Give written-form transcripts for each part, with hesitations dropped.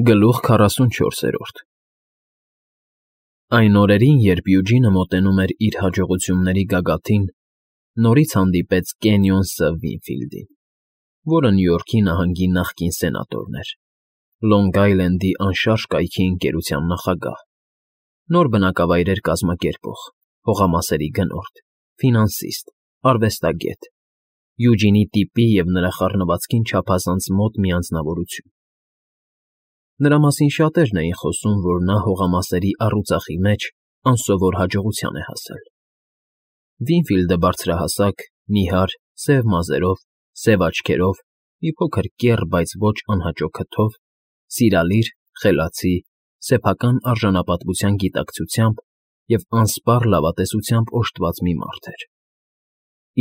Գլուխ 44 Այն օրերին, երբ Յուջինը մոտենում էր իր հաջողությունների գագաթին, նորից հանդիպեց Կենյոն Ս. Վինֆիլդին, որը Նյու Յորքի նահանգի նախկին սենատորն էր, Լոնգ Այլենդի անշարժ կայքի ընկերության նախագահ, նոր բնակավայրեր կազմակերպող, հողամասերի գնորդ, ֆինանսիստ, արվեստագետ, Յուջինի տիպի և նրա խառնվածքին չափազանց մոտ մի անձնավորություն։ Նրա մասին շատերն էին խոսում, որ նա հողամասերի առուծախի մեջ անսովոր հաջողության է հասել։ Վինֆիլդը բարձրահասակ, նիհար, սև մազերով, սև աչքերով, մի փոքր կեռ, բայց ոչ անհաճո քթով, սիրալիր, խելացի, սեփական արժանապատվության գիտակցությամբ և անսպառ լավատեսությամբ օժտված մի մարդ էր։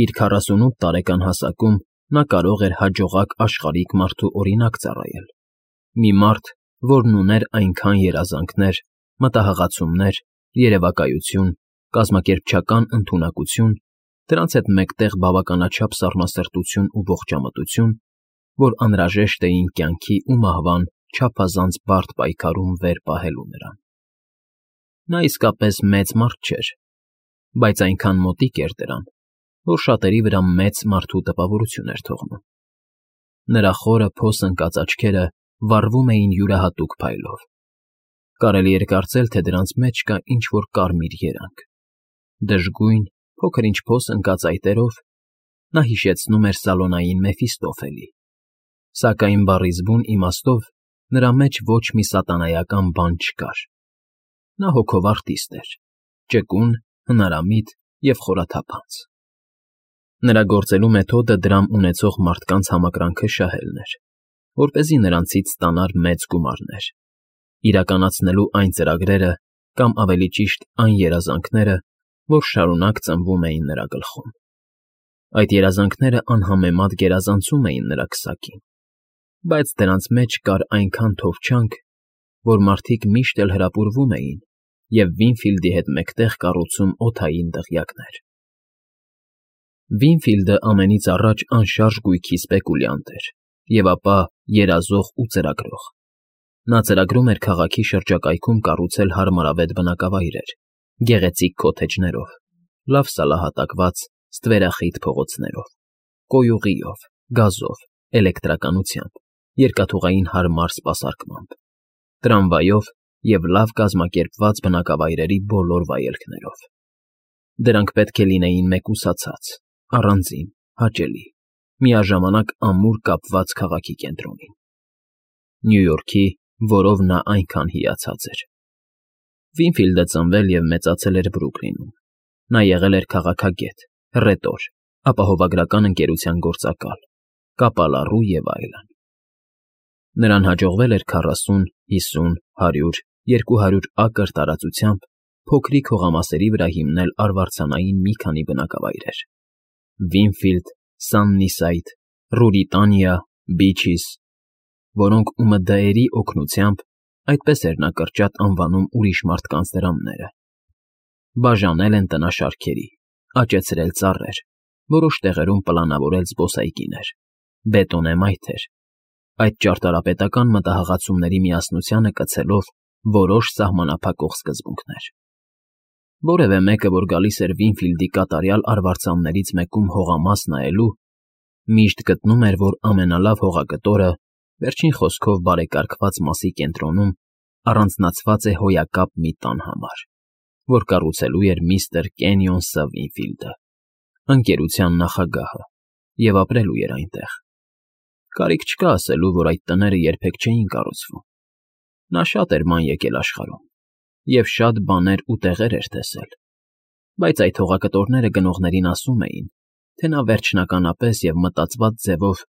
Իր 48 տարեկան հասակում նա կարող էր հաջողակ աշխարհիկ մարդու օրինակ ծառայել։ Մի մարդ, որն ուներ այնքան երազանքներ, մտահղացումներ, երևակայություն, կազմակերպչական ընդունակություն, դրանց հետ մեկտեղ բավականաչափ սառնասրտություն ու ողջամտություն, որ անհրաժեշտ էին կյանքի ու մահվան չափազանց բարդ պայքարում վեր պահելու նրան։ Նա իսկապես մեծ մարդ չէր, բայց այնքան մոտիկ էր դրան, որ շատերի վրա մեծ մարդու տպավորություն էր թողնում։ Նրա խորը փոս ընկած աչքերը վառվում էին յուրահատուկ փայլով։ Կարելի էր կարծել, թե դրանց մեջ կա ինչ֊որ կարմիր երանգ։ Դժգույն, փոքր-ինչ փոս ընկած այտերով նա հիշեցնում էր Սալոնային Մեֆիստոֆելի, սակայն բառի զգույն իմաստով նրա մեջ ոչ մի սատանայական բան չկար։ Նա հոգով արտիստ էր, ճկուն, հնարամիտ և խորաթափանց։ Նրա գործելու մեթոդը դրամ ունեցող մարդկանց համակրանքը շահելն էր, որպեսզի նրանցից ստանար մեծ գումարներ, իրականացնելու այն ծրագրերը կամ ավելի ճիշտ այն երազանքները, որ շարունակ ծնվում էին նրա գլխում։ Այդ երազանքները անհամեմատ գերազանցում էին նրա քսակին, բայց դրանց մեջ կար այնքան թովչանք, որ մարդիկ միշտ էլ հրապուրվում էին և Վինֆիլդի հետ մեկտեղ կառուցում օդային դղյակներ։ Վինֆիլդը ամենից առաջ անշարժ գույքի սպեկուլյանտ էր և ապա երազող ու ծրագրող։ Նա ծրագրում էր քաղաքի շրջակայքում կառուցել հարմարավետ բնակավայրեր, գեղեցիկ քոթեջներով, լավ սալահատակված ստվերախիտ փողոցներով, կոյուղիով, գազով, էլեկտրականությամբ, երկաթուղային հարմար սպասարկմամբ, տրամվայով և լավ կազմակերպված բնակավայրերի բոլոր վայելքներով։ Դրանք պետք է լինեին մեկուսացած, առանձին, հաճելի, միաժամանակ ամուր կապված քաղաքի կենտրոնին։ Նյու Յորքի, որով նա այնքան հիացած էր։ Վինֆիլդը ծնվել և մեծացել էր Բրուքլինում։ Նա եղել էր քաղաքագետ, հռետոր, ապահովագրական ընկերության գործակալ, կապալառու և այլն։ Նրան հաջողվել էր 40, 50, 100, 200 ակր տարածությամբ փոքրիկ հողամասերի վրա հիմնել արվարձանային մի քանի բնակավայրեր՝ Վինֆիլդ, Սաննիսայդ, Ռուրիտանիա, Բիչիս, որոնք ՈՒՄԴ֊երի օգնությամբ, այդպես էր նա կրճատ անվանում ուրիշ մարդկանց դրամները, բաժանել են տնաշարքերի, աճեցրել ծառեր, որոշ տեղերում պլանավորել զբոսայգիներ, բետոնե մայթեր, այդ ճարտարապետական մտահղացումների միասնությանը կցելով որոշ սահմանափակող սկզբունքներ։ Որևէ մեկը, որ գալիս էր Վինֆիլդի կատարյալ արվարձաններից մեկում հողամաս նայելու, միշտ գտնում էր, որ ամենալավ հողագտորը, վերջին խոսքով բարեկարգված մասի կենտրոնում, առանձնացված է հոյակապ մի տան համար, որ կառուցելու էր միստր Կենյոն Ս. Վինֆիլդը, ընկերության նախագահը, և ապրելու էր այնտեղ։ Կարիք չկա ասելու, որ այդ տները երբեք չէին կառուցվում։ Նա շատ էր ման եկել աշխարհում և շատ բաներ ու տեղեր էր տեսել, բայց այդ հողակտորները գնողներին ասում էին, թե նա վերջնականապես և մտածված ձևով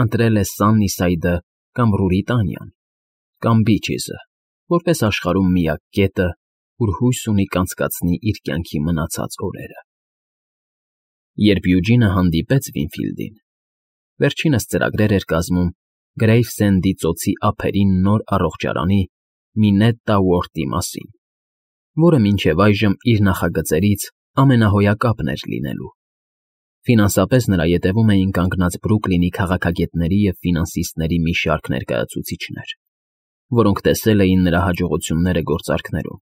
ընտրել է Սաննիսայդը կամ Ռուրիտանիան կամ Բիչիսը որպես աշխարհում միակ կետը, ուր հույս ունի կանցկացնի իր կյանքի մնացած օրերը։ Երբ Յուջինը հանդիպեց Վինֆիլդին, վերջինս ծրագրեր էր կազմում Գրեյվսենդի ծոցի ափերին նոր առողջարանի՝ Մինետտա Ուորթի մասին, որը մինչև այժմ իր նախագծերից ամենահոյակապն էր լինելու։ Ֆինանսապես նրա ետևում էին կանգնած Բրուքլինի քաղաքագետների և ֆինանսիստների մի շարք ներկայացուցիչներ։ որոնք տեսել էին նրա հաջողությունները գործարքներում,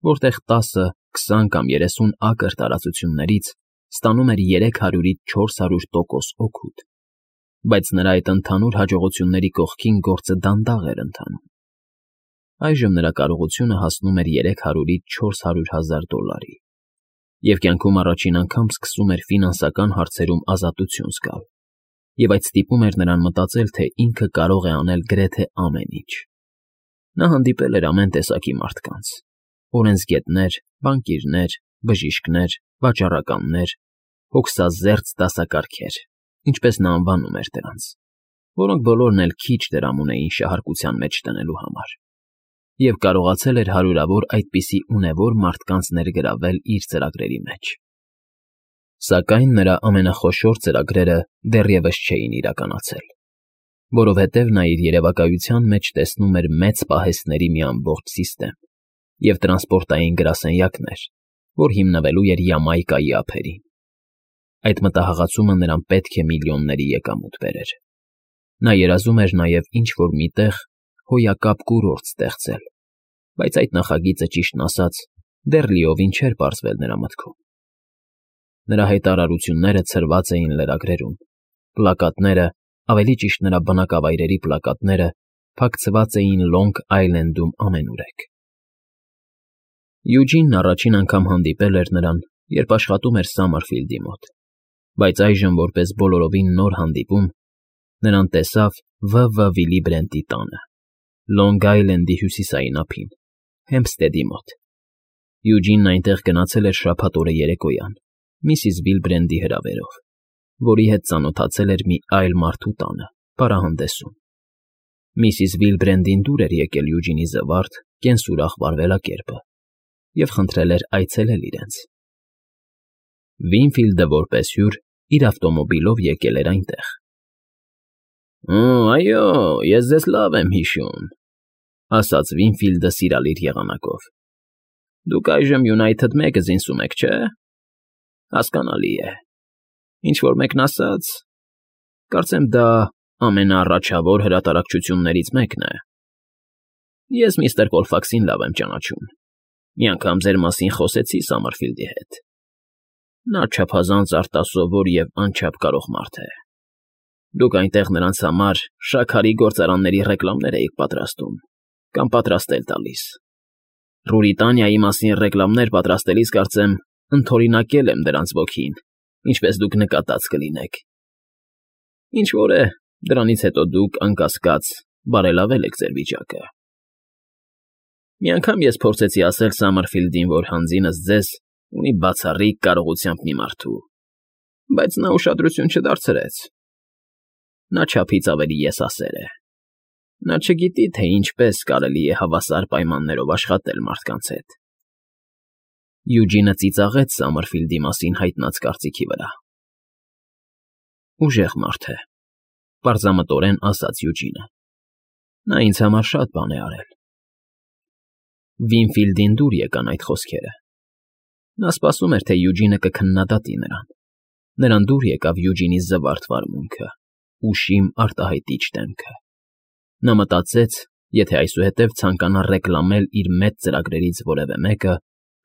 որտեղ 10, 20 կամ 30 ակր տարածություններից ստանում էր 300-ից 400% օգուտ, բայց նրա այդ ընդհանուր հաջողությունների կողքին գործը դանդաղ էր ընթանում։ Այժմ նրա կարողությունը հասնում էր 300-ից 400 հազար դոլարի, և կյանքում առաջին անգամ սկսում էր ֆինանսական հարցերում ազատություն զգալ, և այդ ստիպում էր նրան մտածել, թե ինքը կարող է անել գրեթե ամեն ինչ։ Նա հանդիպել էր ամեն տեսակի մարդկանց. օրենսգետներ, բանկիրներ, բժիշկներ, վաճառականներ, հոգսազերծ դասակարգեր, ինչպես նա անվանում էր դրանց, որոնք բոլորն էլ քիչ դրամ ունեին շահարկության մեջ տնելու համար, և կարողացել էր հարյուրավոր այդպիսի ունևոր մարդկանց ներգրավել իր ծրագրերի մեջ։ Սակայն նրա ամենախոշոր ծրագրերը դեռևս չէին իրականացել, որովհետև նա իր երևակայության մեջ տեսնում էր մեծ պահեստների մի ամբողջ սիստեմ և տրանսպորտային գրասենյակներ, որ հիմնվելու էր Յամայկայի ափերին։ Այդ մտահղացումը նրան պետք է միլիոնների եկամուտ բերեր։ Նա երազում էր նաև ինչ-որ մի տեղ հոյակապ կուրորտ ստեղծել, բայց այդ նախագիծը, ճիշտն ասած, դեռ լիովին չէր պարզվել նրա մտքում։ Նրա հայտարարությունները ցրված էին լրագրերում, պլակատները, ավելի ճիշտ նրա բնակավայրերի պլակատները, փակցված էին Լոնգ Այլենդում ամենուրեք։ Յուջինն առաջին անգամ հանդիպել էր նրան, երբ աշխատում էր Սամարֆիլդի մոտ, բայց այժմ, որպես բոլորովին նոր հանդիպում, նրան տեսավ W. Վիլի Բրենտի տանը, Լոնգ Այլենդի հյուսիսային ափին, Հեմփստեդի մոտ։ Յուջինն այնտեղ գնացել էր շաբաթ օրը երեկոյան, միսիս Վիլբրենդի հրավերով, որի հետ ծանոթացել էր մի այլ մարդու տանը, պարահանդեսում։ Միսիս Վիլբրենդին դուր էր եկել Յուջինի զվարթ, կենսուրախ վարվելակերպը և խնդրել էր այցելել իրենց։ Վինֆիլդը որպես հյուր իր ավտոմոբիլով եկել էր այնտեղ։ Այո, ես ձեզ լավ եմ հիշում, ասաց Վինֆիլդը սիրալիր եղանակով։ Դուք այժմ Յունայթեդ Մեգազինսում եք, չէ՞։ Հասկանալի է։ Ինչ-որ մեկն ասաց, կարծեմ դա ամենաառաջավոր հրատարակչություններից մեկն է։ Ես միստր Կոլֆաքսին լավ եմ ճանաչում։ Մի անգամ ձեր մասին խոսեցի Սամարֆիլդի հետ։ Նա չափազանց արտասովոր և անչափ կարող մարդ է։ Դուք այնտեղ նրանց համար շաքարի գործարանների ռեկլամներ էիք պատրաստում կամ պատրաստել տալիս։ Ռուրիտանիայի մասին ռեկլամներ պատրաստելիս, կարծեմ, ընդօրինակել եմ դրանց ոգին, ինչպես դուք նկատած կլինեք։ Ինչ֊որ է, դրանից հետո դուք, անկասկած, բարելավել եք ձեր վիճակը։ Մի անգամ ես փորձեցի ասել Սամարֆիլդին, որ հանձինս ձեզ ունի բացառիկ կարողությամբ մի մարդու, բայց նա ուշադրություն չդարձրեց։ Նա չափից ավելի եսասեր է։ Նա չգիտի, թե ինչպես կարելի է հավասար պայմաններով աշխատել մարդկանց հետ։ Յուջինը ծիծաղեց Սամարֆիլդի մասին հայտնած կարծիքի վրա։ Ուժեղ մարդ է, պարզամտորեն ասաց Յուջինը։ Նա ինձ համար շատ բան է արել։ Վինֆիլդին դուր եկան այդ խոսքերը։ Նա սպասում էր, թե Յուջինը կքննադատի նրան։ Նրան դուր եկավ Յուջինի զվարթ վարմունքը, ուշիմ արտահայտիչ դեմքը։ Նա մտածեց, եթե այսուհետև ցանկանա ռեկլամել իր մեծ ծրագրերից որևէ մեկը,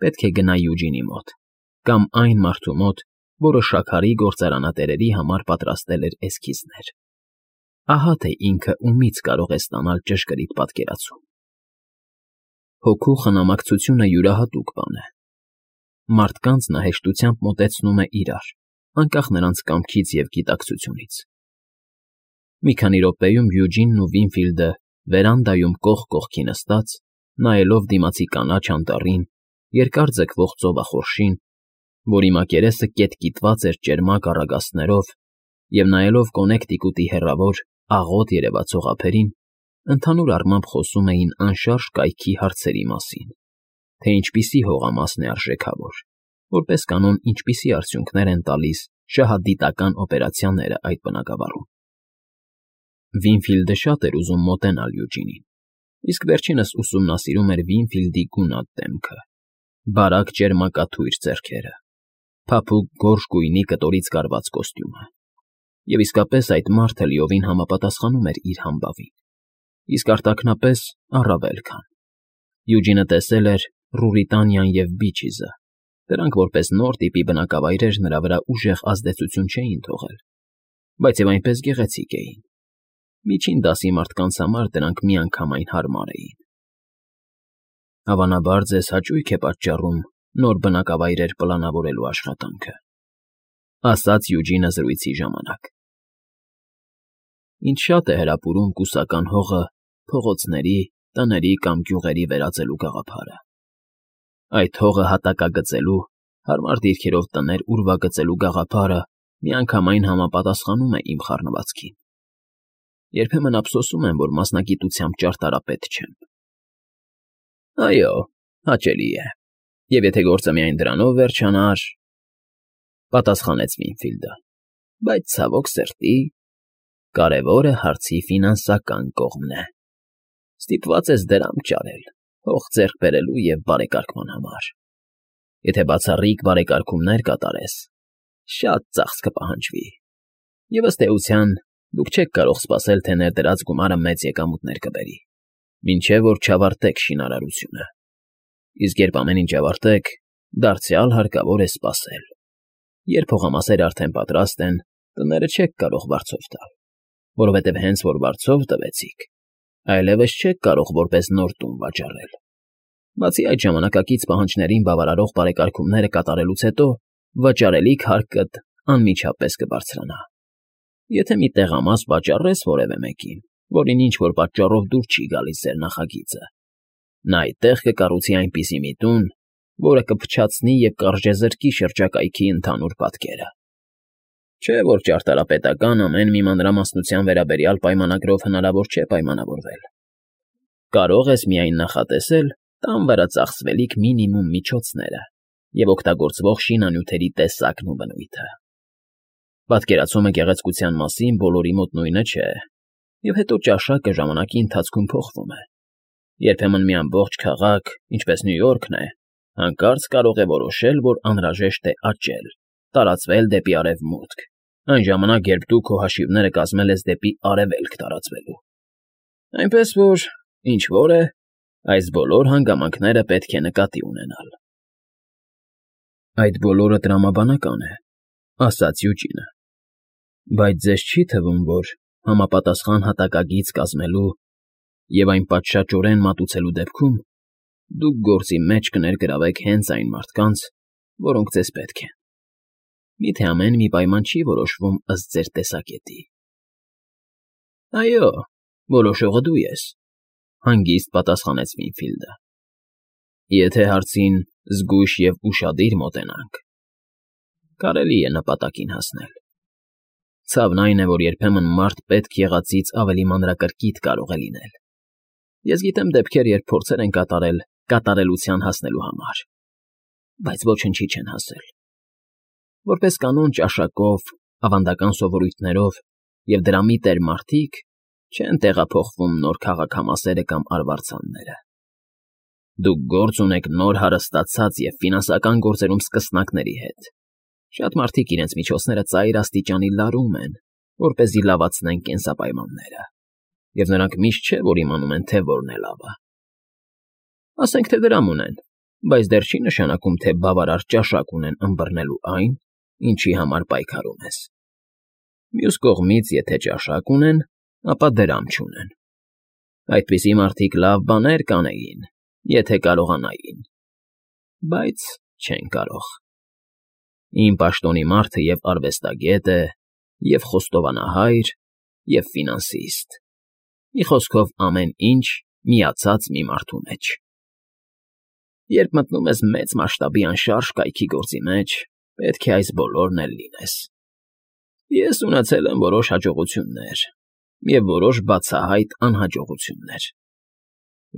պետք է գնա Յուջինի մոտ, կամ այն մարդու մոտ, որը շաքարի գործարանատերերի համար պատրաստել էր էսքիզներ։ Ահա թե ինքը ումից կարող է ստանալ ճշգրիտ պատկերացում։ Հոգու խնամակցությունը յուրահատուկ բան է։ Մարդկանց նա հեշտությամբ մոտեցնում է իրար, անկախ նրանց կամքից և գիտակցությունից։ Մի քանի րոպեում Յուջինն ու Վինֆիլդը վերանդայում կողք կողքի նստած, նայելով դիմացի կանաչ անտառին, երկար ձգվող ծովախորշին, որի մակերեսը կետկիտված էր ճերմակ առագաստներով, և նայելով Կոնեկտիկուտի հեռավոր, աղոտ երևացող ափերին, ընդհանուր առմամբ խոսում էին անշարժ կայքի հարցերի մասին, թե ինչպիսի հողամասն է արժեքավոր, որպես կանոն ինչպիսի արդյունքներ են տալիս շահադիտական օպերացիաները այդ բնակավարում։ Վինֆիլդը շատ էր ուզում մոտենալ Յուջինին, իսկ վերջինս ուսումնասիրում էր Վինֆիլդի գունատ դեմքը, բարակ ճերմակաթույր ձեռքերը, փափուկ գորշ գույնի կտորից կարված կոստյումը, և իսկապես այդ մարդը լիովին համապատասխանում էր իր համբավին։ իսկ արտաքնապես առավել քան։ Յուջինը տեսել էր Ռուրիտանիան և Բիչիզը, դրանք որպես նոր տիպի բնակավայրեր նրա վրա ուժեղ ազդեցություն չէին թողել, բայց և այնպես գեղեցիկ էին։ Միջին դասի մարդկանց համար դրանք միանգամայն հարմար էին։ Հավանաբար ձեզ հաճույք է պատճառում նոր բնակավայրեր պլանավորելու աշխատանքը, ասաց Յուջինը զրույցի ժամանակ։ Ինչ շատ է հրապուրում կուսական հողը փողոցների, տների կամ գյուղերի վերածելու գաղափարը։ Այդ հողը հատակագծելու, հարմար դիրքերով տներ ուրվագծելու գաղափարը միանգամայն համապատասխանում է իմ խառնվածքին։ Երբեմն ափսոսում եմ, որ մասնագիտությամբ ճարտարապետ չեմ։ Այո, հաճելի է։ Եվ եթե գործը միայն դրանով վերջանար, պատասխանեց Վինֆիլդը, բայց ցավոք սրտի, կարևորը հարցի ֆինանսական կողմն է։ Ստիպված ես դրամ ճարել, հող ձեռք բերելու և բարեկարգման համար։ Եթե բացառիկ բարեկարգումներ կատարես, շատ ծախս կպահանջվի, և ըստ էության դուք չեք կարող սպասել, թե ներդրած գումարը մեծ եկամուտներ կբերի, մինչև որ չավարտեք շինարարությունը։ Իսկ երբ ամեն ինչ ավարտեք, դարձյալ հարկավոր է սպասել։ Երբ հողամասերը արդեն պատրաստ են, տները չեք կարող վարձով տալ, որովհետև հենց որ վարձով տվեցիք, այլևս չեք կարող որպես նոր տուն վաճառել։ Բացի այդ ժամանակակից պահանջներին բավարարող բարեկարգումները կատարելուց հետո վաճառելիք հարկդ անմիջապես կբարձրանա։ Եթե մի տեղամաս վաճառես որևէ մեկին, որին ինչ-որ պատճառով դուր չի գալիս ձեր նախագիծը, նա այդտեղ կկառուցի այնպիսի մի տուն, որը կփչացնի և կարժեզրկի շրջակայքի ընդհանուր պատկերը։ Չէ՞ որ ճարտարապետական ամեն մի մանրամասնության վերաբերյալ պայմանագրով հնարավոր չէ պայմանավորվել։ Կարող ես միայն նախատեսել տան վրա ծախսվելիք մինիմում միջոցները և օգտագործվող շինանյութերի տեսակն ու բնույթը։ Պատկերացումը գեղեցկության մասին բոլորի մոտ նույնը չէ, և հետո ճաշակը ժամանակի ընթացքում փոխվում է։ Երբեմն մի ամբողջ քաղաք, ինչպես Նյու Յորքն է, հանկարծ կարող է որոշել, որ անհրաժեշտ է աճել, տարածվել դեպի արևմուտք, այն ժամանակ, երբ դու քո հաշիվները կազմել ես դեպի արևելք տարածվելու։ Այնպես որ, ինչ որ է, այս բոլոր հանգամանքները պետք է նկատի ունենալ։ Այդ բոլորը տրամաբանական է, ասաց Յուջինը, բայց ձեզ չի թվում, որ համապատասխան հատակագիծ կազմելու և այն պատշաճորեն մատուցելու դեպքում դուք գործի մեջ կներգրավեք հենց այն մարդկանց, որոնք ձեզ պետք են։ Միթե ամեն մի պայման չի որոշվում ըստ ձեր տեսակետի։ Այո, որոշողը դու ես, հանգիստ պատասխանեց Վինֆիլդը։ Եթե հարցին զգույշ և ուշադիր մոտենանք, կարելի է նպատակին հասնել։ Ցավն այն է, որ երբեմն մարդ պետք եղածից ավելի մանրակրկիտ կարող է լինել։ Ես գիտեմ դեպքեր, երբ փորձեր են կատարել կատարելության հասնելու համար, բայց ոչնչի չեն հասել։ Որպես կանոն ճաշակով, ավանդական սովորույթներով և դրամի տեր մարդիկ չեն տեղափոխվում նոր քաղաքամասերը կամ արվարձանները։ Դուք գործ ունեք նոր հարստացած և ֆինանսական գործերում սկսնակների հետ։ Շատ մարդիկ իրենց միջոցները ծայր աստիճանի լարում են, որպեսզի լավացնեն կենսապայմանները, և նրանք միշտ չէ, որ իմանում են, թե որն է լավը։ Ասենք թե դրամ ունեն, բայց դեռ չի նշանակում, թե բավարար ճաշակ ունեն ըմբռնելու այն, ինչի համար պայքարում ես։ Մյուս կողմից, եթե ճաշակ ունեն, ապա դրամ չունեն։ Այդպիսի մարդիկ լավ բաներ կանեին, եթե կարողանային, բայց չեն կարող։ Իմ պաշտոնի մարդը և արվեստագետ է, և խոստովանահայր, և ֆինանսիստ։ Մի խոսքով ամեն ինչ միացած մի մարդու մեջ։ Երբ մտնում ես մեծ մասշտաբի անշարժ կայքի գործի մեջ, պետք է այս բոլորն էլ լինես։ Ես ունեցել եմ որոշ հաջողություններ և որոշ բացահայտ անհաջողություններ։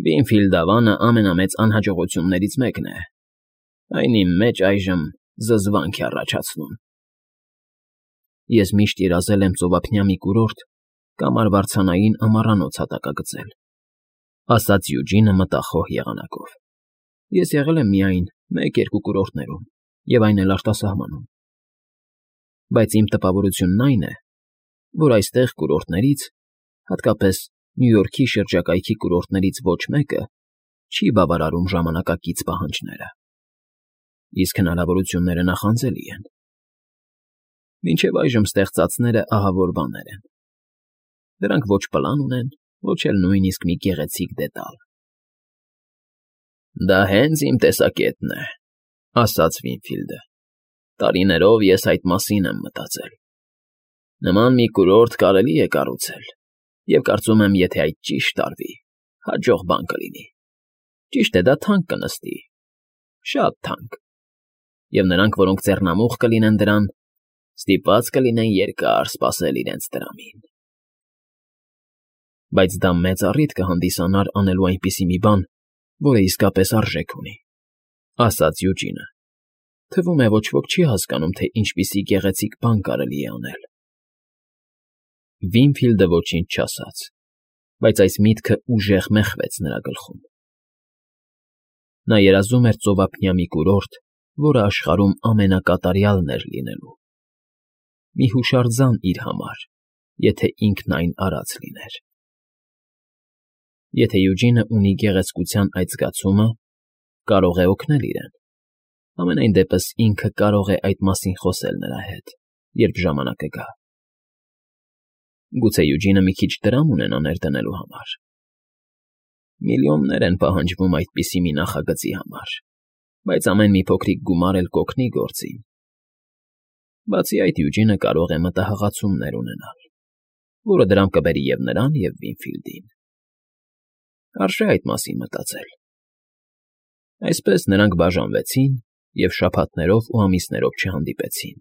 Վինֆիլդավանը ամենամեծ անհաջողություններից մեկն է։ Այն իմ մեջ այժմ զզվանք է առաջացնում։ Ես միշտ երազել եմ ծովափնյա մի կուրորտ կամ արվարձանային ամառանոց հատակագծել, ասաց Յուջինը մտախոհ եղանակով։ Ես եղել եմ միայն 1-2 կուրորտներում, և այն էլ արտասահմանում։ Բայց իմ տպավորությունն այն է, որ այստեղ կուրորտներից, հատկապես Նյու Յորքի շրջակայքի կուրորտներից ոչ մեկը չի բավարարում ժամանակակից պահանջները, իսկ հնարավորությունները նախանձելի են։ Մինչև այժմ ստեղծածները ահավոր բաներ են. դրանք ոչ պլան ունեն, ոչ էլ նույնիսկ մի գեղեցիկ դետալ։ «Դա հենց իմ տեսակետն է», ասաց Վինֆիլդը։ «Տարիներով ես այդ մասին եմ մտածել։ Նման մի կուրորտ կարելի է կառուցել, և կարծում եմ, եթե այդ ճիշտ արվի, հաջող բան կլինի։ Ճիշտ է, դա թանկ կնստի, շատ թանկ, և նրանք, որոնք ձեռնամուխ կլինեն դրան, ստիպված կլինեն երկար սպասել իրենց տրամին։ Բայց դա մեծ առիթ կհանդիսանար անելու այնպիսի մի բան, որը իսկապես արժեք ունի», ֊ ասաց Յուջինը։ «Թվում է, ոչ ոք չի հասկանում, թե ինչպիսի գեղեցիկ բան կարելի է անել»։ Վինֆիլդը ոչինչ չասաց, բայց այս միտքը ուժեղ մեխվեց նրա գլխում։ Նա երազում էր ծովափնյա մի կուրորտ, որը աշխարհում ամենակատարյալն էր լինելու։ Մի հուշարձան իր համար, եթե ինքն այն արած լիներ։ Եթե Յուջինը ունի գեղեցկության այդ զգացումը, կարող է օգնել իրեն։ Համենայն դեպս ինքը կարող է այդ մասին խոսել նրա հետ, երբ ժամանակը գա։ Գուցե Յուջինը մի քիչ դրամ ունենա ներդնելու համար։ Միլիոններ են պահանջվում այդպիսի մի նախագծի համար, բայց ամեն մի փոքրիկ գումար էլ կօգնի գործին։ Բացի այդ, Յուջինը կարող է մտահղացումներ ունենալ, որը դրամ կբերի և նրան, և Վինֆիլդին։ Արժե այդ մասին մտածել։ Այսպես նրանք բաժանվեցին և շաբաթներով ու ամիսներով չհանդիպեցին,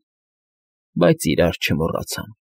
բայց իրար չմոռացան։